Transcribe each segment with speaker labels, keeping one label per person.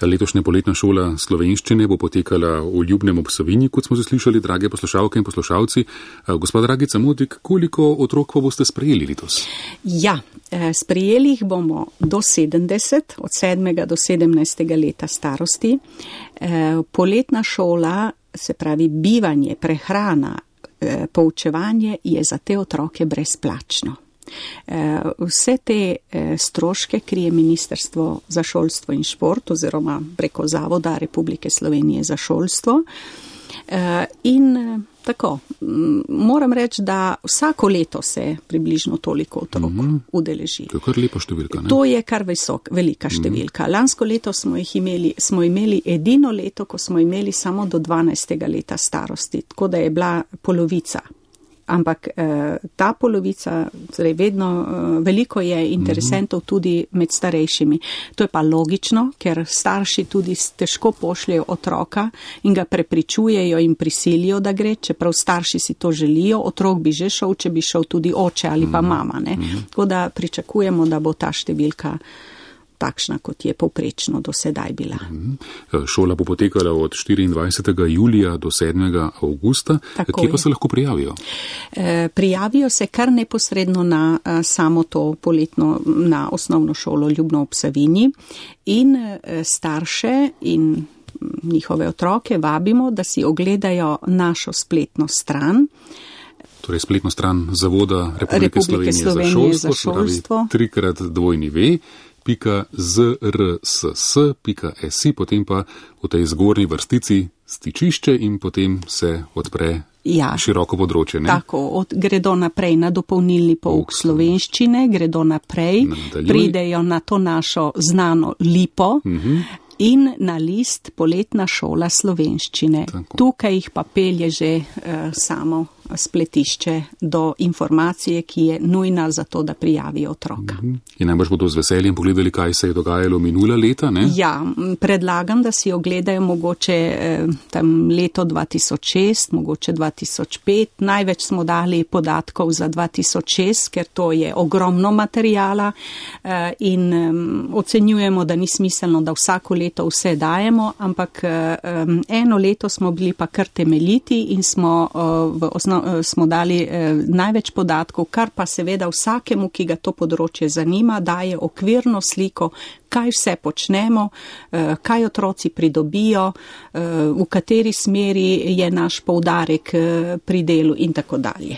Speaker 1: Letošnja poletna šola slovenščine bo potekala v Ljubnem ob Savinji, kot smo slišali, drage poslušalke in poslušalci. Gospa Dragica Modrik, koliko otrok pa boste sprejeli letos?
Speaker 2: Ja, sprejeli jih bomo do 70, od 7. do 17. leta starosti. Poletna šola, se pravi bivanje, prehrana, poučevanje je za te otroke brezplačno. Vse te stroške krije Ministrstvo za šolstvo in šport oziroma preko Zavoda Republike Slovenije za šolstvo. In tako, moram reči, da vsako leto se približno toliko otrok udeleži.
Speaker 1: To je kar lepa številka, ne?
Speaker 2: To je kar velika številka. Lansko leto smo imeli edino leto, ko smo imeli samo do 12. leta starosti, tako da je bila polovica. Ampak ta polovica, torej vedno veliko je interesentov tudi med starejšimi. To je pa logično, ker starši tudi težko pošljajo otroka in ga prepričujejo in prisilijo, da gre, čeprav starši si to želijo, otrok bi že šel, če bi šel tudi oče ali pa mama. Ne? Tako da pričakujemo, da bo ta številka takšna, kot je povprečno do sedaj bila.
Speaker 1: Šola bo potekala od 24. julija do 7. avgusta. Kje pa se lahko prijavijo?
Speaker 2: Prijavijo se kar neposredno na samo to poletno, na osnovno šolo Ljubno ob Savinji in starše in njihove otroke vabimo, da si ogledajo našo spletno stran.
Speaker 1: Torej spletno stran Zavoda Republike Slovenije za šolstvo. 3x2.zrss.si, potem pa v tej zgornji vrstici stičišče in potem se odpre široko področje. Ne?
Speaker 2: Tako, gredo naprej na dopolnilni pouk slovenščine, gredo naprej, pridejo na to našo znano lipo in na list Poletna šola slovenščine. Tako. Tukaj jih pa pelje že samo spletišče do informacije, ki je nujna za to, da prijavijo otroka.
Speaker 1: In najbrž bodo z veseljem pogledali, kaj se je dogajalo minula leta, ne?
Speaker 2: Ja, predlagam, da si ogledajo mogoče tam leto 2006, mogoče 2005. Največ smo dali podatkov za 2006, ker to je ogromno materijala in ocenjujemo, da ni smiselno, da vsako leto vse dajemo, ampak eno leto smo bili pa kar temeljiti in smo smo dali največ podatkov, kar pa seveda vsakemu, ki ga to področje zanima, daje okvirno sliko, kaj vse počnemo, kaj otroci pridobijo, v kateri smeri je naš poudarek pri delu in tako dalje.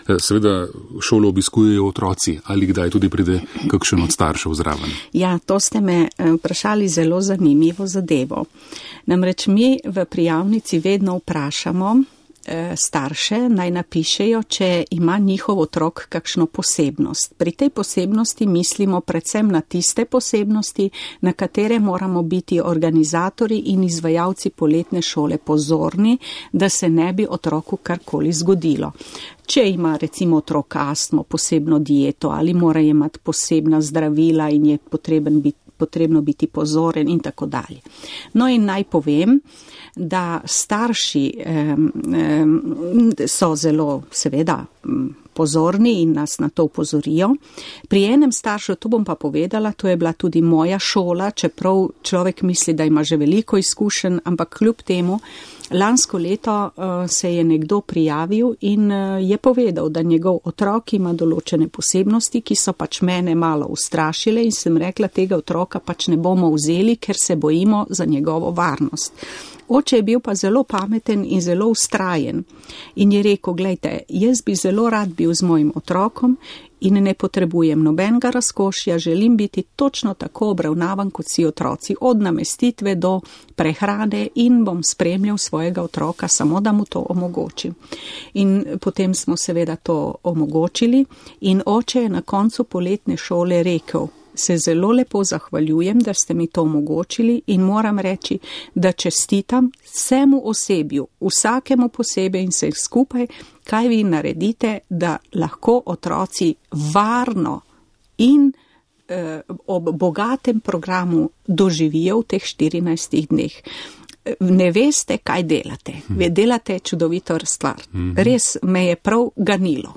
Speaker 1: Seveda šolo obiskujejo otroci, ali kdaj tudi pride kakšen od staršev zraven?
Speaker 2: Ja, to ste me vprašali zelo zanimivo zadevo. Namreč mi v prijavnici vedno vprašamo starše, naj napišejo, če ima njihov otrok kakšno posebnost. Pri tej posebnosti mislimo predvsem na tiste posebnosti, na katere moramo biti organizatori in izvajalci poletne šole pozorni, da se ne bi otroku karkoli zgodilo. Če ima recimo otrok astmo, posebno dieto ali mora imati posebna zdravila in je potrebno biti pozoren in tako dalje. No in naj povem, da starši so zelo seveda pozorni in nas na to upozorijo. Pri enem staršu, to bom pa povedala, to je bila tudi moja šola, čeprav človek misli, da ima že veliko izkušenj, ampak kljub temu, lansko leto se je nekdo prijavil in je povedal, da njegov otrok ima določene posebnosti, ki so pač mene malo ustrašile in sem rekla, tega otroka pač ne bomo vzeli, ker se bojimo za njegovo varnost. Oče je bil pa zelo pameten in zelo vztrajen in je rekel, glejte, jaz bi zelo rad bil z mojim otrokom in ne potrebujem nobenega razkošja, želim biti točno tako obravnavan kot si otroci, od namestitve do prehrane in bom spremljal svojega otroka, samo da mu to omogočim. In potem smo seveda to omogočili in oče je na koncu poletne šole rekel, se zelo lepo zahvaljujem, da ste mi to omogočili in moram reči, da čestitam vsemu osebju, vsakemu posebej in vseh skupaj, kaj vi naredite, da lahko otroci varno in ob bogatem programu doživijo v teh 14 dneh. Ne veste, kaj delate. Delate čudovito stvar. Res me je prav ganilo.